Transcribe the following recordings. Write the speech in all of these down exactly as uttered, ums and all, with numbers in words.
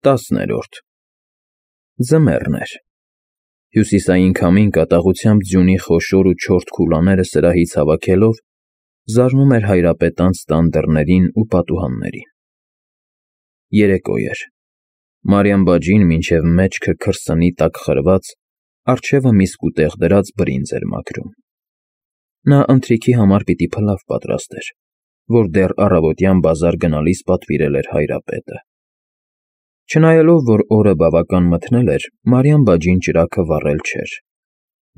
Տասներորդ Ձմեռն էր։ Հյուսիսային քամին կատաղությամբ ձյունի խոշոր ու չորս քուլաները սրահից հավաքելով զարնում էր հայրապետանց տան դռներին ու պատուհաններին։ Երեկո էր։ Մարիամ բաջին մինչև մեջքը քրսնի տակ խրված, առջևը մի սկուտեղ դրած բրինձ էր մաքրում։ Նա ընթրիքի համար պիտի փլավ պատրաստեր, որ դեռ առավոտյան բազար գնալիս պատվիրել էր հայրապետը։ Չնայելով, որ օրը բավական մթնել էր, Մարիամ բաջին ճրագը վառել չէր։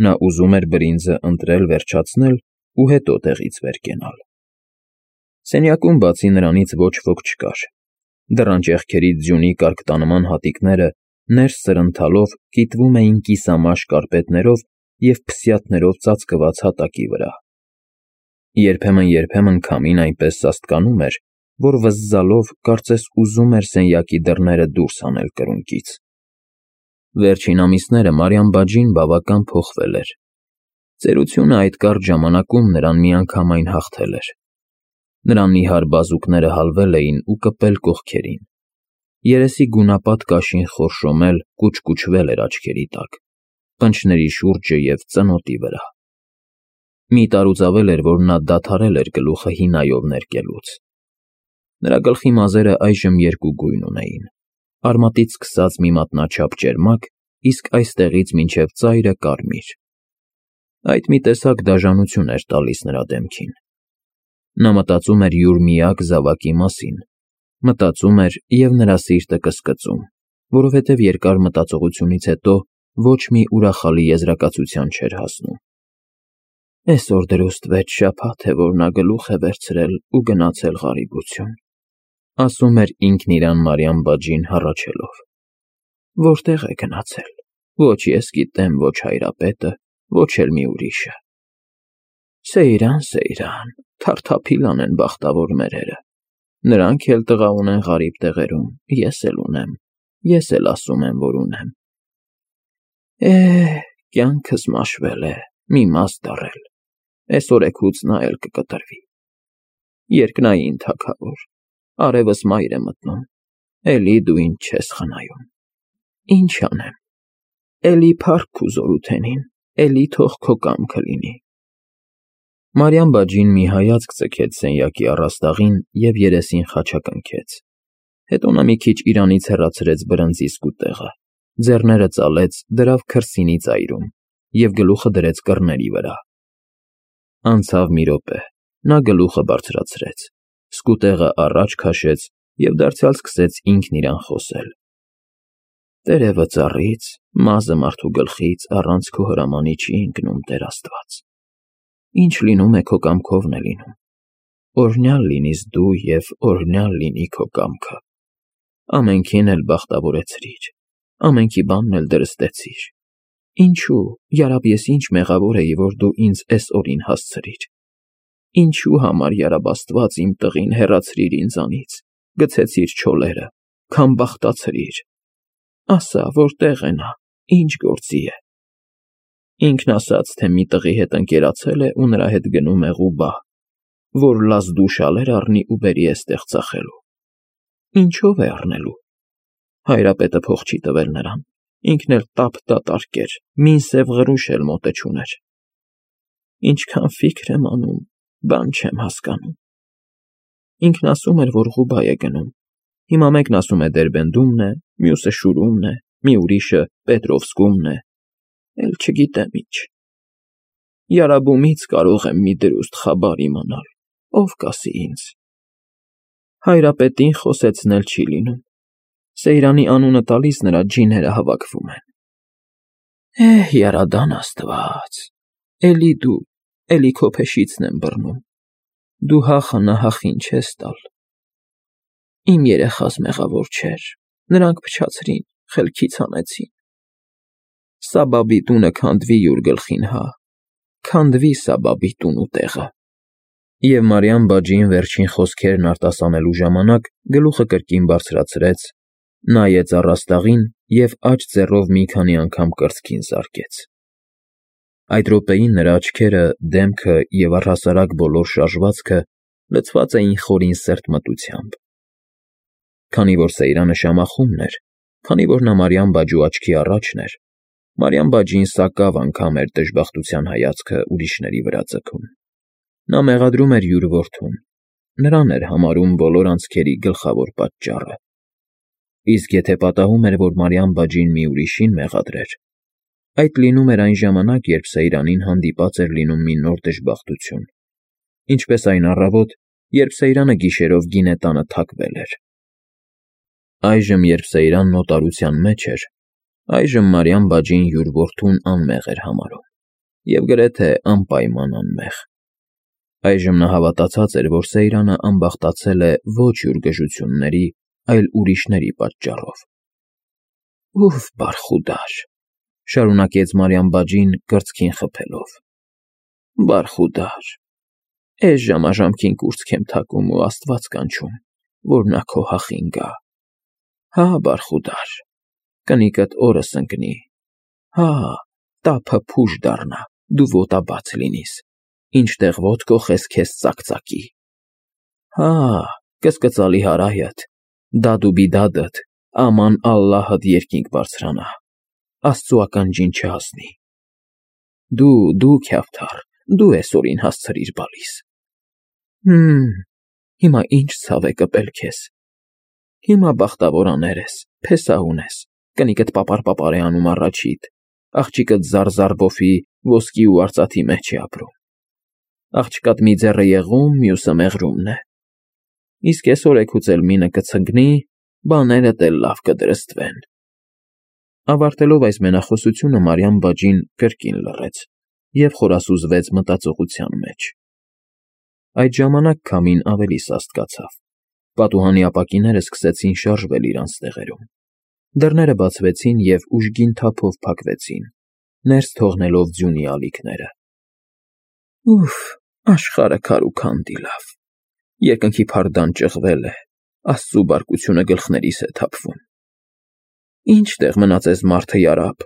Նա ուզում էր բրինձը ընտրել վերջացնել ու հետո տեղից վեր կենալ։ Սենյակում բացի նրանից ոչ ոք չկար։ Դռան ճեղքերից ձյունի կարկտանման հատիկները ներս սրընթալով կիտվում էին կիսամաշ կարպետներով և փսյաթներով ծածկված հատակի վրա։ Երբեմն-երբեմն քամին այնպես սաստկանում էր, որ վզզալով կարծես ուզում էր սենյակի դռները դուրս հանել կրունկից։ Վերջին ամիսները Մարիամ բաջին բավական փոխվել էր։ Ծերությունը այդ կարճ ժամանակում նրան միանգամայն հաղթել էր։ Նրա նիհար բազուկները հալվել էին ու կպել կողքերին։ Երեսի գունապատ կաշին խորշոմել, կուչկուչվել էր աչքերի տակ, պնչների շուրջը և ծնոտի վրա։ Մի տարուձավել էր, որ նա դադարել էր գլուխը հինայով ներկելուց։ Նրա գլխի մազերը այժմ երկու գույն ունեին, արմատից սկսած մի մատնաչափ ճերմակ, իսկ այստեղից մինչև ծայրը կարմիր։ Այդ մի տեսակ դաժանություն էր տալիս նրա դեմքին։ Նա մտածում էր յուր միակ զավակի մասին, մտածում էր և նրա սիրտը կսկծում, որովհետև երկար մտածողությունից հետո ոչ մի ուրախալի եզրակացության չէր հասնում։ Էսօր դրուստ վեց շաբաթ է, որ նա գլուխ է վերցրել ու գնացել ղարիբություն, ասում էր ինքն իրան Մարիամ բաջին հառաչելով։ Որտեղ է գնացել, ոչ ես գիտեմ, ոչ հայրապետը, ոչ էլ մի ուրիշը։ Սեյրան, Սեյրան, թարթափիլան են բախտավոր մերերը։ Նրանք էլ տղա ունեն ղարիբ տեղերում, ես էլ ունեմ, ես էլ ասում եմ, որ ունեմ։ Է, կյանքս մաշվել է, մի մաս դառել, էս օրեքուց նա էլ կկտրվի։ Երկնային թագավոր, արևս մայր է մտնում, էլի դու ինձ չես խնայում։ Ինչ անեմ, էլի փառք քու զորութենին, էլի թող քո կամքը լինի։ Մարիամ բաջին մի հայացք ձգեց սենյակի առաստաղին և երեսին խաչակնքեց։ Հետո նա մի քիչ իրանից հեռացրեց բրնձի սկուտեղը, ձեռները ծալեց, դրավ քրսինի ծայրում և գլուխը դրեց կռների վրա։ Անցավ մի րոպե, նա գլուխը բարձրացրեց, սկուտեղը առաջ քաշեց և դարձյալ սկսեց ինքն իրան խոսել։ Տերևը ծառից, մազը մարդու գլխից առանց քո հրամանի չի ընկնում, Տեր Աստված։ Ինչ լինում է քո կամքովն է լինում։ Օրհնյալ լինիս դու և օրհնյալ լինի քո կամքը։ Ամենքին էլ բախտավորեցրիր, ամենքի բանն էլ դրստեցիր։ Ինչու, յարաբ ես ինչ մեղավոր էի, որ դու ինձ էս օրին հասցրիր։ Ինչու համար, յարաբ Աստված, իմ տղին հեռացրիր ինձանից, գցեցիր չոլերը, քամբախտացրիր։ Ասա, որտեղ է նա, ինչ գործի է։ Ինքն ասաց, թե մի տղի հետ ընկերացել է ու նրա հետ գնում է Ղուբա, որ լազդուշալեր առնի ու բերի էստեղ ծախելու։ Ինչով է առնելու։ Հայրապետը փող չի տվել նրան, ինքն էլ տափ դատարկ էր, մին սև ղրուշ էլ մոտը չուներ։ Ինչքան ֆիքր եմ անում, բան չեմ հասկանում։ Ինքն ասում էր, որ Ղուբա է գնում։ Հիմա մեկն ասում է Դերբենդումն է, մյուսը Շուրումն է, մի ուրիշը Պետրովսկումն է, էլ չգիտեմ ինչ։ Յարաբումից կարող եմ մի դրուստ խաբար իմանալ, ով կասի ինձ։ Հայրապետին խոսեցնել չի լինում։ Սեյրանի անունը տալիս նրա ջիները հավաքվում են։ Էհ, յարադան Աստված, էլի դու, էլի քո փեշիցն եմ բռնում։ Դու հախը նահախին չես տալ։ Իմ երեխաս մեղավոր չէր, նրանք փչացրին, խելքից հանեցին։ Սաբաբի տունը քանդվի յուր գլխին, հա, քանդվի Սաբաբի տունու տեղը։ Եվ Մարիամ բաջին վերջին խոսքերն արտասանելու ժամանակ գլուխը կրկին բարձրացրեց, նայեց առաստաղին և աջ ձեռով մի քանի անգամ կրծքին զարկեց։ Այդ րոպեին նրա աչքերը, դեմքը և առհասարակ բոլոր շարժվածքը լցված էին խորին սերտմտությամբ։ Քանի որ Սեյրանը շամախումն էր, Քանի որ նա Մարիամ բաջու աչքի առաջն էր, Մարիամ բաջին սակավ անգամ էր դժբախտության հայացքը ուրիշների վրա ձգում։ Նա մեղադրում էր յուր որդուն, նրան էր համարում բոլոր անցքերի գլխավոր պատճառը։ Իսկ եթե պատահում էր, որ Մարիամ բաջին մի ուրիշին մեղադրեր, այդ լինում էր այն ժամանակ, երբ Սեյրանին հանդիպած էր լինում մի նոր դժբախտություն, ինչպես այն առավոտ, երբ Սեյրանը գիշերով գինե տանը թաքվել էր։ Այժմ, երբ Սեյրանն օտարության մեջ էր, այժմ Մարիամ բաջին յուր որդուն անմեղ էր համարում և գրեթե անպայման անմեղ։ Այժմ նա հավատացած էր, որ Սեյրանը անբախտացել է ոչ յուր գժությունների, այլ ուրիշների պատճառով։ «Ով բարխուդար», շարունակեց Մարիամ բաջին կրծքին խփելով, «բարխուդար, էս ժամաժամքին կուրծք եմ թակում ու Աստված կանչում, որ նա քո հախին գա։ Հա, բարխուդար, կնիկդ օրս ընկնի, հա, տափը փուշ դառնա, դու ոտաբաց լինիս, ինչտեղ ոտ կոխես քեզ ծակծակի։ Հա, կսկծալի հարայդ, դադուբիդադդ, աման Ալլահդ երկինք բարձրանա, Աստծու ականջին չհասնի։ Դու, դու քյավթառ, դու էսօրին հասցրիր բալիս։ Հմ, հիմա ինչ ցավ է կպել քեզ։ Հիմա բախտավորաներ ես, փեսահուն ես, կնիկդ պապար-պապար է անում առաջիդ, աղջիկդ զար-զար բոֆի, ոսկի ու արծաթի մեջ է ապրում։ Աղջկադ մի ձեռը եղում, մյուսը մեղրումն է։ Իսկ այսօր էգուց էլ մինը կցնգնի, բաներդ էլ լավ կդրստվեն։ Ավարտելով այս մենախոսությունը Մարիամ բաջին կրկին լռեց և խորասուզվեց մտածողության մեջ։ Այդ ժամանակ քամին ավելի սաստկացավ։ Պատուհանի ապակիները սկսեցին շարժվել իրանց տեղերում։ Դռները բացվեցին և ուժգին թափով փակվեցին, ներս թողնելով ձյունի ալիքները։ Ուֆ, աշխարհը քարուքանդ իլավ, երկնքի փարդան ճղվել է, Աստծու բարկությունը գլխներիս է թափվում։ Ինչ տեղ մնաց էս մարդը յարապ,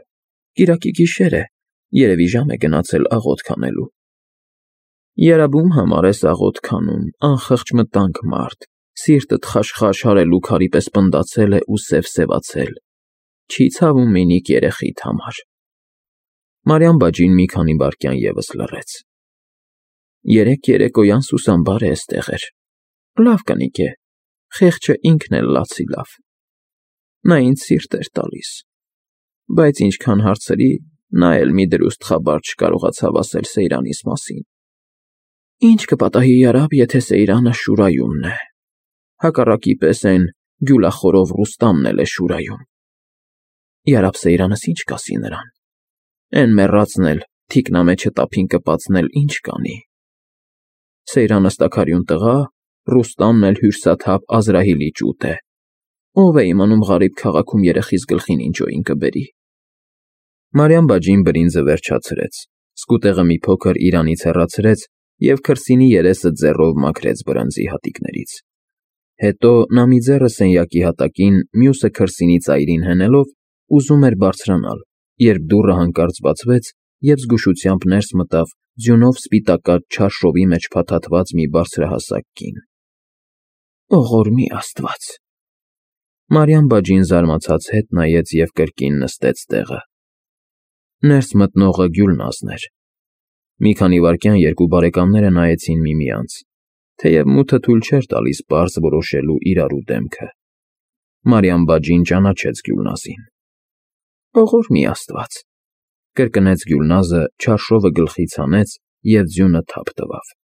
կիրակի գիշեր է, երևի ժամ է գնացել աղոթք անելու։ Երաբում համար ես աղոթք անում, անխղճ մտանք մարդ, սիրտդ խաշխաշ հարելու քարի պես պնդացել է ու սևսևացել, չի ցավում մինիկ երեխիդ համար։ Մարիամ բաջին մի քանի վայրկյան ևս լռեց։ Երեկ երեկոյան Սուսանբար է էստեղ էր։ Լավ կնիկ է, խեղճը ինքն էլ լացի լավ։ Նա ինձ սիրտ էր տալիս, բայց ինչքան հարցրի, նա էլ մի դրուստ խաբար չկարողացավ ասել Սեյրանիս մասին։ Ինչ կպատահի յարապ, եթե Սեյրանը Շուրայումն է, հակառակի պես էն գյուլախորով Ռուստամն էլ է Շուրայում։ Յարապ Սեյրանս ինչ կասի նրան։ Էն մեռածն էլ, թիկնամեջը տափին կպածն էլ ինչ կանի։ Սեյրանը ստաքարյուն տղա, Ռուստամն էլ հյուրսաթափ Ազրահիլի ճուտ է։ Ով է իմանում Ղարիբ քաղաքում երեխիս գլխին ինչոյին կբերի։ Մարիամ բաջին բրինձը վերջացրեց, սկուտեղը մի փոքր իրանից հեռացրեց և քրսինի երեսը ձեռով մաքրեց բրանձի հատիկներից։ Հետո նա մի ձեռը սենյակի հատակին, մյուսը քրսինի ծայրին հենելով, ուզում էր բարձրանալ, երբ դուռը հանկարծ բացվեց, և զգուշությամբ ներս մտավ ձյունով սպիտակած չարշովի մեջ փաթաթված մի բարձրահասակ կին։ Ողորմի Աստված։ Մարիամ բաջին զարմացած հետ նայեց և կրկին նստեց տեղը։ Ներս մտնողը Գյուլնազն էր։ Մի քանի վայրկյան երկու բարեկամները նայեցին միմյանց, թեև մութը թույլ չէր տալիս պարզ որոշելու իրարու դեմքը։ Մարիամ բաջին ճանաչեց Գյուլնազին։ Ողորմի Աստված, կրկնեց Գյուլնազը, չարշովը գլխից հանեց և ձյունը թափ տվավ։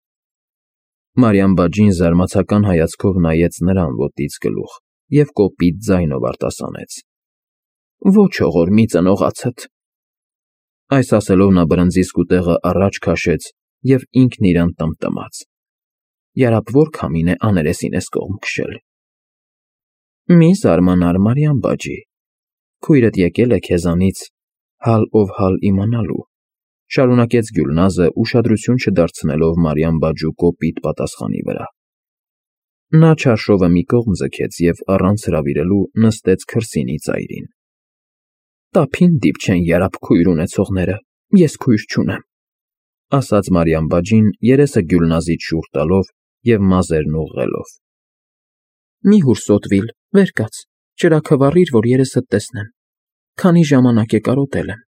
Մարիամ բաջին զարմացական հայացքով նայեց նրան ոտից գլուխ և կոպիտ ձայնով արտասանեց. Ոչ ողորմի ծնողացդ։ Այս ասելով նա բրնձի սկուտեղը առաջ քաշեց և ինքն իրան տմտմաց. Յարապ որ քամին է աներեսին էս կողմ քշել։ Մի զարմանար, Մարիամ բաջի, քույրդ եկել է քեզանից հալ ով հալ իմանալու, շարունակեց Գյուլնազը, ուշադրություն չդարձնելով Մարիամ բաջու կոպիտ պատասխանի վրա։ Նա չարշովը մի կողմ ձգեց և առանց հրավիրելու նստեց քրսինի ծայրին։ Տափին դիպչեն յարապ քույր ունեցողները, ես քույր չունեմ, ասաց Մարիամ բաջին, երեսը Գյուլնազից շուռ տալով և մազերն ուղղելով։ Մի հուրսոտվիլ, վեր կաց, ճրագը վառիր, որ երեսդ տեսնեմ, քանի ժամանակ է կարոտել եմ։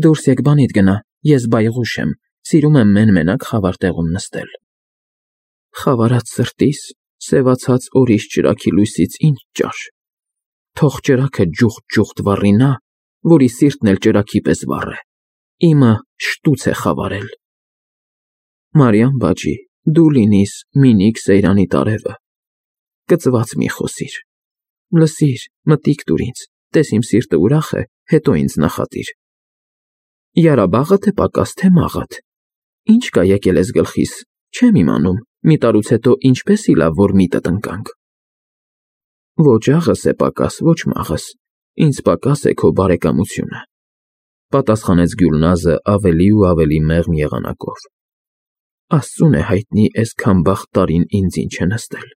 Դուրս եկ բանիդ գնա, ես բայղուշ եմ, սիրում եմ մեն֊մենակ խավար տեղում նստել։ Խավարած սրտիս, սևացած օրիս ճրագի լույսից ինչ ճար։ Թող ճրագը ջուղտ-ջուղտ վառի նա, որի սիրտն էլ ճրագի պես վառ է, իմը շտուց է խավարել։ Մարիամ բաջի, դու լինիս մինիք Սեյրանի տարևը, կծված մի խոսիր, լսիր, մտիկ տուր ինձ, տես իմ սիրտը ուրախ է, հետո ինձ նախատիր։ Յարաբաղը թե պակաս թե մաղադ, ինչ կա եկել ես գլխիս, չեմ իմանում, մի տարուց հետո ինչպես իլավ, որ միտդ ընկանք։ Ոչ աղս է պակաս, ոչ մաղս, ինձ պակաս է քո բարեկամությունը, պատասխանեց Գյուլնազը ավելի ու ավելի մեղմ եղանակով։ Աստծուն է հայտնի այսքան բախտ տարին ինձ ինչ է նստել։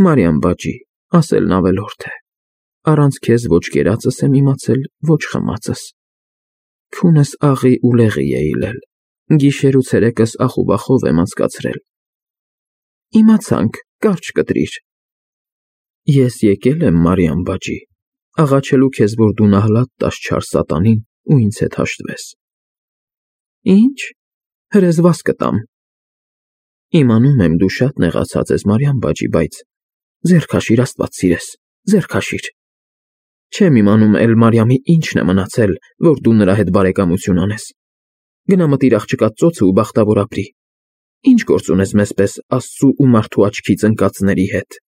Մարիամ բաջի, ասելն ավելորդ է, առանց քեզ ոչ կերածս եմ իմացել, ոչ խմածս։ Քունս աղի ու լեղի է իլել, գիշեր ու ցերեկս ախուբախով եմ անցկացրել։ Իմացանք, կարճ կտրիր։ Ես եկել եմ, Մարիամ բաջի, աղաչելու քեզ, որ դու նահլատ տաս չար սատանին ու ինձ հետ հաշտվես։ Ինչ, հրեզվաս կտամ։ Իմանում եմ, դու շատ նեղացած ես, Մարիամ բաջի, բայց ձեռք հաշիր, Աստված սիրես, ձեռք հաշիր։ Չեմ իմանում էլ Մարիամի ինչն է մնացել, որ դու նրա հետ բարեկամություն անես։ Գնա մտիր աղջկա ծոցը ու բախտավոր ապրի։ Ինչ գործ ունես մեզպես Աստծու ու մարդու աչքից ընկածների հետ։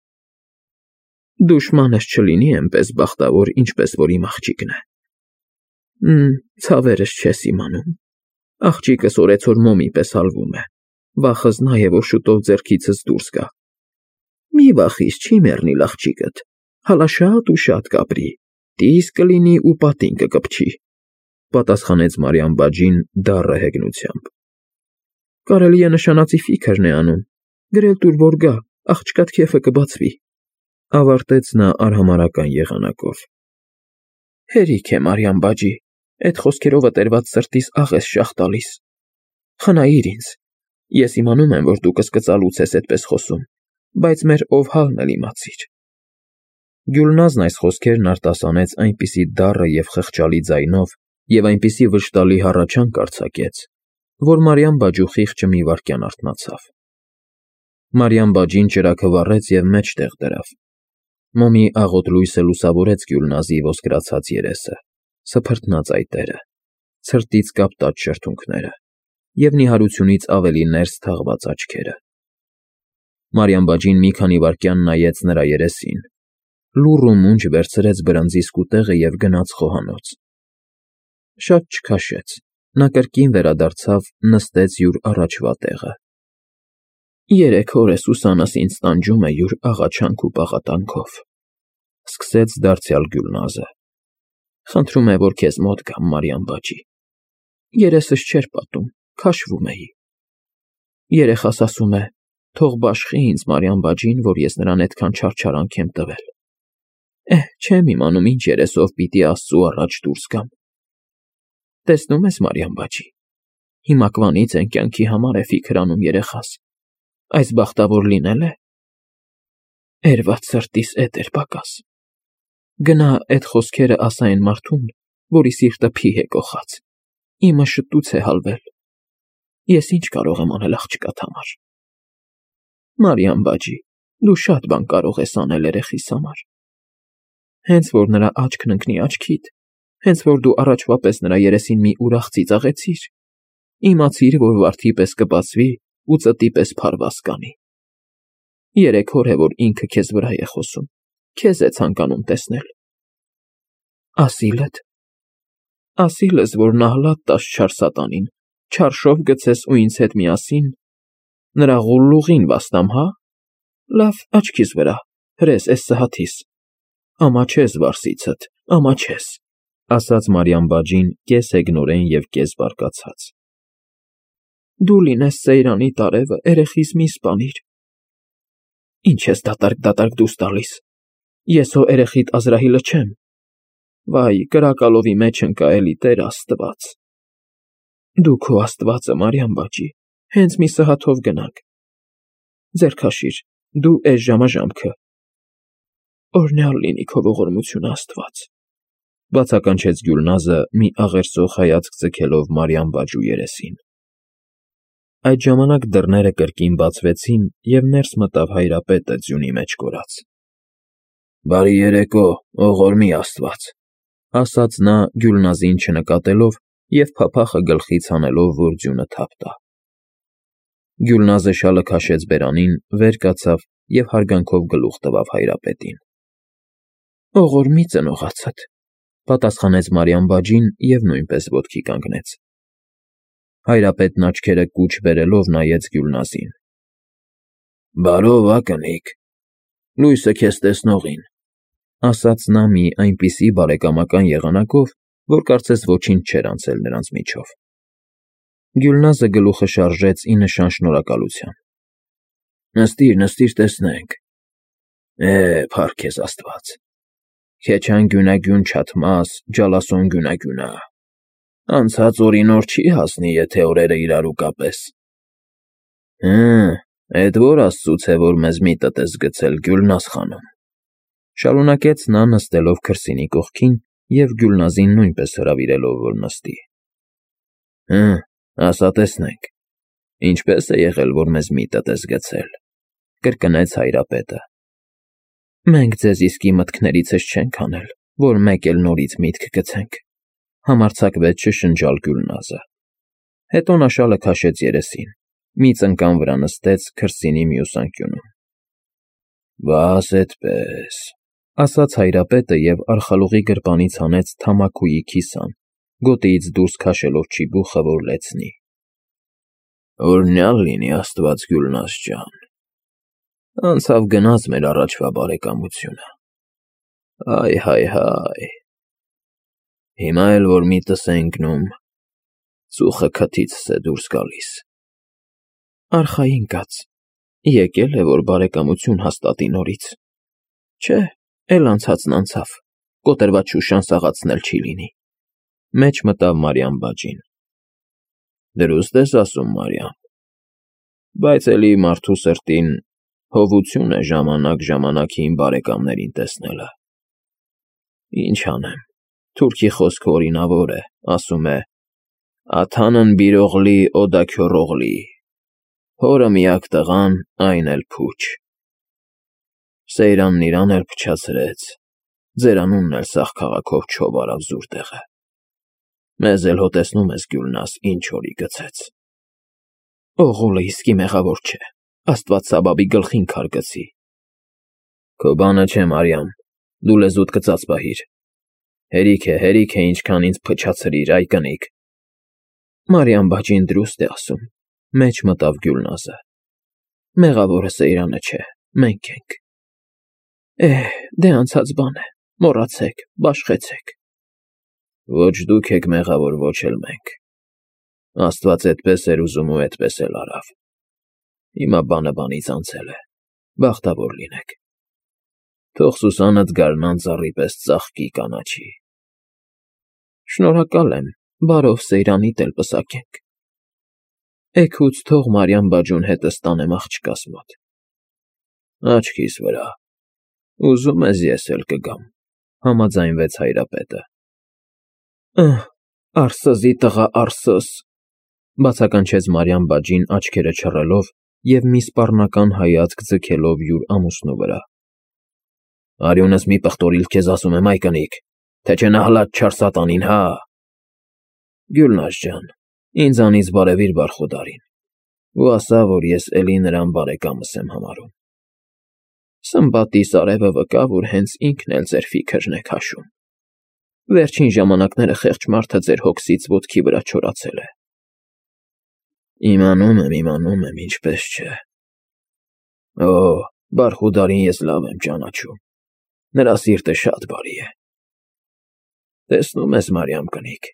Դուշմանս չլինի էնպես բախտավոր, ինչպես որ իմ աղջիկն է։ Մմ, ցավերս չես իմանում։ Աղջիկս օրեցօր մոմի պես հալվում է, վախս նա է, որ շուտով ձեռքիցս դուրս գա։ Մի վախիս, չի մեռնիլ աղջիկդ, հալա շատ ու շատ կապրի, տիս կլինի ու պատին կկպչի, պատասխանեց Մարիամ բաջին դառը հեգնությամբ։ Կարելի է նշանածի ֆիքրն է անում, գրել տուր, որ գա, աղջկատ քեֆը կբացվի, ավարտեց նա արհամարհական եղանակով։ Հերիք է, Մարիամ բաջի, այդ խոսքերովը տերված սրտիս աղ ես շաղ տալիս։ Խնայիր ինձ, ես իմանում եմ, որ դու կսկծալուց ես այդպես խոսում, բայց մեր ով հալն էլ իմացիր։ Գյուլնազն այս խոսքերն արտասանեց այնպիսի դառը և խղճալի ձայնով և այնպիսի վշտալի հառաչանք արձակեց, որ Մարիամ բաջու խիղճը մի վայրկյան արթնացավ։ Մարիամ բաջին ճրագը վառեց և մեջտեղ դրավ։ Մոմի աղոտ լույսը լուսավորեց Գյուլնազի ոսկրացած երեսը, սփռտնած այտերը, ցրտից կապտած շրթունքները և նիհարությունից ավելի ներս թաղված աչքերը։ Մարիամ բաջին մի քանի վայրկյան նայեց նրա երեսին, լուռ ու մունջ վերցրեց բրնձի սկուտեղը և գնաց խոհանոց։ Շատ չքաշեց, նա կրկին վերադարձավ, նստեց յուր առաջվա տեղը։ Երեք օր է Սուսաննս ինձ տանջում է յուր աղաչանք ու պաղատանքով, սկսեց դարձյալ Գյուլնազը։ Խնդրում է, որ քեզ մոտ գամ, Մարիամ բաջի։ Երեսս չէր պատում, քաշվում էի։ Երեխաս ասում է, թող բաշխի ինձ Մարիամ բաջին, որ ես նրան այդքան չարչարանք եմ տվել։ Էհ, չեմ իմանում ինչ երեսով պիտի Աստծու առաջ դուրս գամ։ Տեսնում ես, Մարիամ բաջի, հիմակվանից են կյանքի համար է ֆիքր անում երեխաս, այս բախտավոր լինել է։ Էրված սրտիս էդ էր պակաս։ Գնա այդ խոսքերը ասա այն մարդուն, որի սիրտը փի է կոխած, իմը շտուց է հալվել։ Ես ինչ կարող եմ անել աղջկատ համար։ Մարիամ բաջի, դու շատ բան կարող ես անել երեխիս համար։ Հենց որ նրա աչքն ընկնի աչքիդ, հենց որ դու առաջվա պես նրա երեսին մի ուրախ ծիծաղեցիր, իմացիր, որ վարդի պես կբացվի ու ծտի պես փարված կանի։ Երեք օր է, որ ինքը քեզ վրա է խոսում, քեզ է ցանկանում տեսնել։ Ասիլդ։ Ասիլս, որ նահլատ տաս չար սատանին, չարշով գցես ու ինձ հետ միասին, նրա ղուլլուղին վաստամ, հա։ Լավ, աչքիս վրա, հրես էս սհաթիս։ Ամաչես վարսիցդ, ամաչես, ասաց Մարիամ բաջին կես հեգնորեն և կես բարկացած։ Դու լինես Սեյրանի տարևը, երեխիս մի սպանիր։ Ինչ ես դատարկ-դատարկ դուրս տալիս, ես հո երեխիդ Ազրահիլը չեմ։ Վայ, կրակալովի մեջ ընկա էլի Տեր Աստված։ Դու քո Աստվածը, Մարիամ բաջի, հենց մի սհաթով գնանք։ Ձեռք հաշիր, դու էս ժամաժամքը։ Օրհնյալ լինի քո ողորմությունը, Աստված, բացականչեց Գյուլնազը մի աղերսող հայացք ձգելով Մարիամ Բաջու երեսին։ Այդ ժամանակ դռները կրկին բացվեցին, և ներս մտավ Հայրապետը ձյունի մեջ կորած։ Բարի երեկո, ողորմի Աստված, ասաց նա Գյուլնազին չնկատելով և փափախը գլխից հանելով, որ ձյունը թափ տա։ Գյուլնազը շալը քաշեց բերանին, վեր կացավ և հարգանքով գլուխ տվավ Հայրապետին։ Ողորմի ծնողացդ, պատասխանեց Մարիամ Բաջին և նույնպես ոտքի կանգնեց։ Հայրապետն աչքերը կուչ բերելով նայեց Գյուլնազին։ Բարով, ակնիկ, լույսը քեզ տեսնողին, ասաց նա մի այնպիսի բարեկամական եղանակով, որ կարծես ոչինչ չէր անցել նրանց միջև։ Գյուլնազը գլուխը շարժեց ի նշան շնորհակալության։ Նստիր, նստիր, տեսնենք։ Է, փառք քեզ Աստված։ Քեչան գյունագյուն չաթմաս, ջալասոն գյունագյունա։ Անցած օրին օր չի հասնի, եթե օրերը իրարու կապես։ Հը, էդ որ աստծուց է, որ մեզ միտդ ես գցել, Գյուլնազ խանում, շարունակեց նա նստելով քրսինի կողքին և Գյուլնազին նույնպես հրավիրելով, որ նստի։ Հը, ասա տեսնենք, ինչպես է եղել, որ մեզ միտդ ես գցել, կրկնեց Հայրապետը։ Մենք ձեզ իսկի մտքներիցս չենք անել, որ մեկ էլ նորից միտք գցենք, համարձակվեց շշնջալ Գյուլնազը։ Հետո նա շալը քաշեց երեսին, մի ծնկան վրա նստեց քրսինի մյուս անկյունում։ Բաս էդպես, ասաց Հայրապետը և արխալուղի գրպանից հանեց թամաքուի քիսան, գոտիից դուրս քաշելով չիբուխը, որ լեցնի։ Օրհնյալ լինի Աստված, Գյուլնազ ջան, անցավ գնաց մեր առաջվա բարեկամությունը։ Այ, հայ, հայ, հիմա էլ որ միտս է ընկնում, ծուխը քթիցս է դուրս գալիս։ Արխային կաց, եկել է, որ բարեկամություն հաստատի նորից։ Չէ, էլ անցածն անցավ, կոտրված շուշան սաղացնել չի լինի։ Մեջ մտավ Մարիամ Բաջին։ Դրուստ ես ասում, Մարիամ, բայց էլի մարդու սրտին հովություն է ժամանակ-ժամանակին բարեկամներին տեսնելը։ Ինչ անեմ, թուրքի խոսքը օրինավոր է, ասում է. «Աթանն բիրողլի, օդաքյոռողլի», հորը միակ տղան, այն էլ փուչ։ Սեյրանն իրան էլ փչացրեց, ձերանունն էլ սաղ քաղաքով չով արավ զուր տեղը։ Մեզ էլ հո տեսնում ես, Գյուլնազ, ինչ օրի գցեց։ Օղուլը իսկի մեղավոր չէ, Աստված Սաբաբի գլխին քար գցի։ Քո բանը չէ, Մարիամ, դու լեզուդ կծած պահիր։ Հերիք է, հերիք է, ինչքան ինձ փչացրիր, այ կնիկ։ Մարիամ Բաջին դրուստ է ասում, մեջ մտավ Գյուլնազը։ Մեղավորը Սեյրանը չէ, մենք ենք։ Էհ, դե անցած բան է, մոռացեք, բաշխեցեք։ Ոչ դուք եք մեղավոր, ոչ էլ մենք։ Աստված էդպես էր ուզում ու էդպես էլ արավ։ Հիմա բանը բանից անցել է, բախտավոր լինեք։ Թող Սուսանդ գարնան ծառի պես ծաղկի կանաչի։ Շնորհակալ եմ, բարով Սեյրանիդ էլ պսակենք։ Էգուց թող Մարիամ Բաջուն հետս տանեմ աղջկաս մոտ։ Աչքիս վրա, ուզում ես ես էլ կգամ, համաձայնվեց Հայրապետը։ Ըհ, արսզի տղա, արսս, բացականչեց Մարիամ Բաջին աչքերը չռելով և մի սպառնական հայացք ձգելով յուր ամուսնու վրա։ Արյունս մի պղտորիլ քեզ ասում եմ, այ կնիկ, թե չէ նահլադ չար սատանին, հա։ Գյուլնազ ջան, ինձանից բարևիր Բարխուդարին ու ասա, որ ես էլի նրան բարեկամս եմ համարում։ Սմբատիս արևը վկա, որ հենց ինքն էլ ձեր ֆիքրն է քաշում։ Վերջին ժամանակները խեղճ մարդը ձեր հոգսից ոտքի վրա չորացել է։ Իմանում եմ, իմանում եմ, ինչպես չէ։ Օ, Բարխուդարին ես լավ եմ ճանաչում։ Նրա սիրտը շատ բարի է։ Տեսնում ես, Մարիամ կնիկ,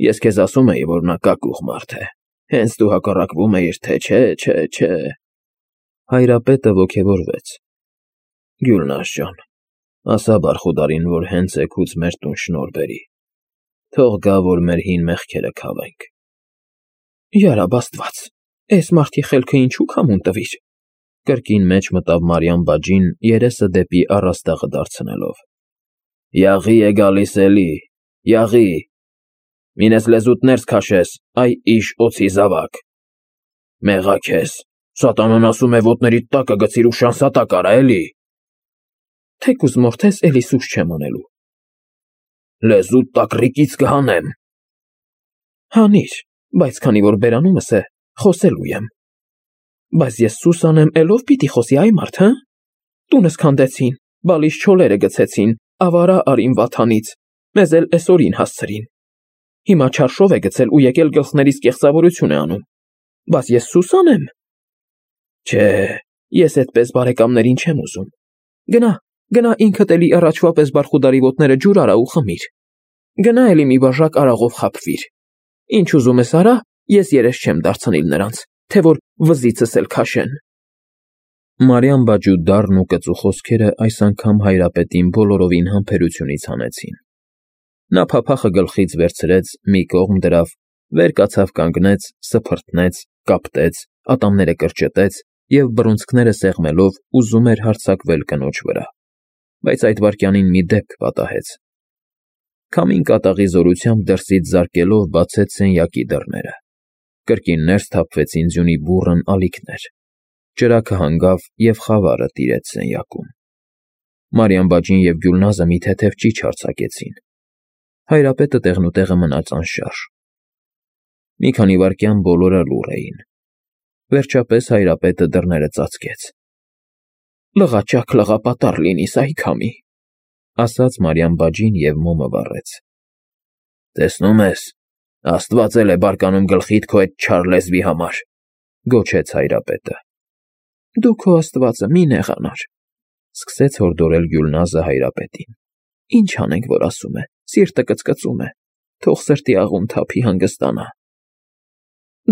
ես քեզ ասում էի, որ նա կակուղ մարդ է, հենց դու հակառակվում էիր, թե չէ, չէ, չէ։ Հայրապետը ոգևորվեց։ Գյուլնազ ջան, ասա Բարխուդարին, որ հենց էգուց մեր տուն շնորհ բերի։ Թող գա, որ մեր հին մեղքերը քավենք։ Յարաբ Աստված, էս մարդի խելքը ինչու քամուն տվիր։ Կրկին մեջ մտավ Մարիամ բաջին, երեսը դեպի առաստաղը դարձնելով։ Յաղի է գալիս էլի, յաղի, մինես լեզուտ ներս քաշես, այ իշ օձի զավակ։ Մեղա քեզ, սատանան ասում է ոտներիդ տակը գցիր ու շանսատակ արա էլի։ Թեկուզ մորթես էլի սուս չեմ անելու։ Լեզուտ տակ ռիկից կհանեմ։ Հանիր, բայց քանի որ բերանումս է, խոսելու եմ։ Բայց ես սուս անեմ, էլով պիտի խոսի այ մարդ, հը։ Տունս քանդեցին, բալիս չոլերը գցեցին, ավարա արին վաթանից, մեզ էլ էսօրին հասցրին։ Հիմա չարշով է գցել ու եկել գլխներիս կեղծավորություն է անում։ Բայց ես սուս անեմ։ Չէ, ես այդպես բարեկամներին չեմ ուզում։ Գնա, գնա ինքդ էլի առաջվա պես բարխուդարի ոտները ջուր արա ու խմիր։ Գնա էլի մի բաժակ արաղով խաբվիր։ Ինչ ուզում ես արա, ես երես չեմ դարձնիլ նրանց, թե որ վզիցս էլ քաշեն։ Մարիամ բաջու դառն ու կծու խոսքերը այս անգամ հայրապետին բոլորովին համբերությունից հանեցին։ Նա փափախը գլխից վերցրեց, մի կողմ դրավ, վեր կացավ կանգնեց, սփռտնեց, կապտեց, ատամները կրճտեց և բռունցքները սեղմելով ուզում էր հարձակվել կնոջ վրա, բայց այդ վայրկյանին մի դեպք պատահեց։ Քամին կատաղի զորությամբ դրսից զարկելով բացեց սենյակի դռները։ Կրկին ներս թափվեցին ձյունի բուռն ալիքներ։ Ճրագը հանգավ և խավարը տիրեց սենյակում։ Մարիամ բաջին և Գյուլնազը մի թեթև ճիչ արձակեցին։ Հայրապետը տեղնուտեղը մնաց անշարժ։ Մի քանի վայրկյան բոլորը լուռ էին։ Վերջապես հայրապետը դռները ծածկեց։ Լղաճակ լղապատառ լինիս, այ քամի, ասաց Մարիամ բաջին և մոմը վառեց։ Տեսնում ես, Աստված էլ է բարկանում գլխիդ քո այդ չար լեզվի համար, գոչեց հայրապետը։ Դու քո Աստվածը մի նեղանար, սկսեց հորդորել Գյուլնազը հայրապետին։ Ինչ անենք, որ ասում է, սիրտը կծկծում է, թող սրտի աղուն թափի հանգստանա։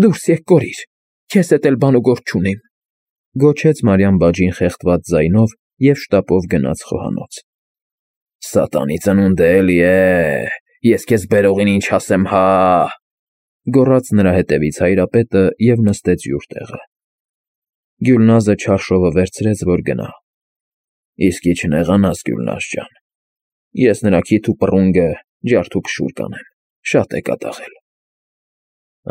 Դուրս եկ կորիր, քեզ հետ էլ բան ու գործ չունիմ, գոչեց Մարիամ բաջին խեղդված ձայնով և շտապով գնաց խոհանոց։ Սատանի ծնունդը էլի է, ես քեզ բերողին ինչ ասեմ, հա, գոռաց նրա հետևից հայրապետը և նստեց յուր տեղը։ Գյուլնազը չարշովը վերցրեց, որ գնա։ Իսկի չնեղանաս, Գյուլնազ ջան, ես նրա քիթ ու պռունգը ջարդ ու փշուր կանեմ, շատ է կատաղել։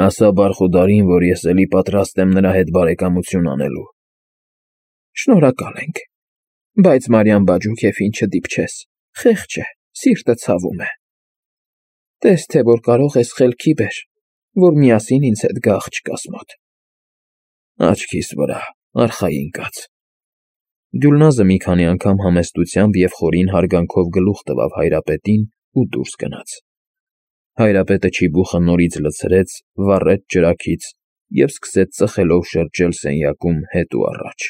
Ասա բարխուդարին, որ ես էլի պատրաստ եմ նրա հետ բարեկամություն անելու։ Շնորհակալ ենք, բայց Մարիամ բաջու քեֆին չդիպչես, խեղճ է, սիրտը ցավում է։ Տես թե որ կարող ես խելքի բեր, որ միասին ինձ հետ գա աղջկաս մոտ։ Աչքիս վրա, արխային կաց։ Գյուլնազը մի քանի անգամ համեստությամբ և խորին հարգանքով գլուխ տվավ հայրապետին ու դուրս գնաց։ Հայրապետը չիբուխը նորից լցրեց, վառեց ճրագից և սկսեց ծխելով շրջել սենյակում հետ ու առաջ։